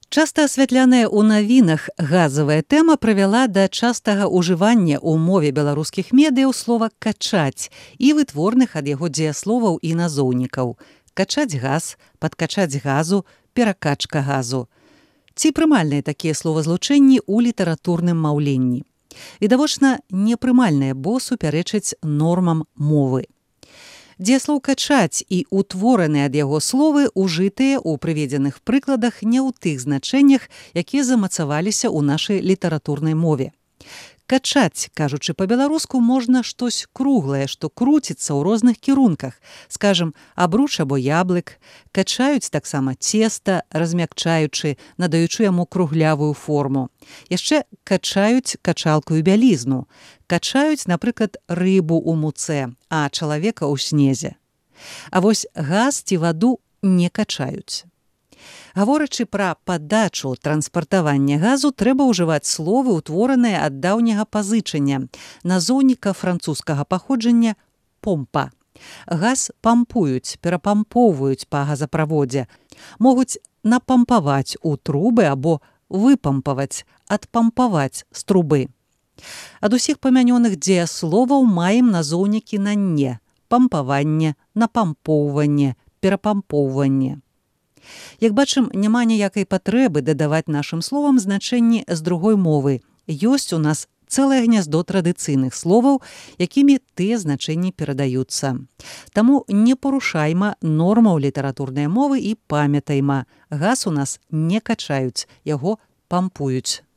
Часта асвятляная ў навінах газавая тэма прывяла да частага ўжывання ў мове беларускіх медыяў слова «качаць» і вытворных ад яго дзеясловаў і назоўнікаў. Качаць газ, падкачаць газу, перакачка газу. Ці прымальныя такія словазлучэнні ў літаратурным маўленні? Відавочна, непрымальныя, бо супярэчаць нормам мовы. Дзеяслоў «качаць» і ўтвораныя ад яго словы ужытыя ў прыведзеных прыкладах не ў тых значэннях, якія замацаваліся ў нашай літаратурнай мове. Качаць, кажучы па-беларуску, можна штось круглае, што круціцца ў розных кірунках, скажам, абруч або яблык, качаюць таксама цеста, размякчаючы, надаючы яму круглявую форму. Яшчэ качаюць качалкаю бялізну, качаюць, напрыклад, рыбу ў муцэ, а чалавека ў снезе. А вось газ ці ваду не качаюць. Гаворачы пра падачу транспартавання газу, трэба ўжываць словы, утвораныя ад даўняга пазычання, назоўніка французскага паходжання «помпа». Газ пампуюць, перапампоўваюць па газаправодзе, могуць напампаваць у трубы або выпампаваць, адпампаваць з трубы. Ад усіх памянёных дзеясловаў маем назоўнікі на «не» – пампаванне, напампоўванне, перапампоўванне. Як бачым, няма ніякай патрэбы дадаваць нашым словам значэнні з другой мовы. Ёсць у нас цэлае гняздо традыцыйных словаў, якімі тыя значэнні перадаюцца. Таму не парушайма нормаў літаратурнай мовы і памятайма. Газ у нас не качаюць, яго пампуюць.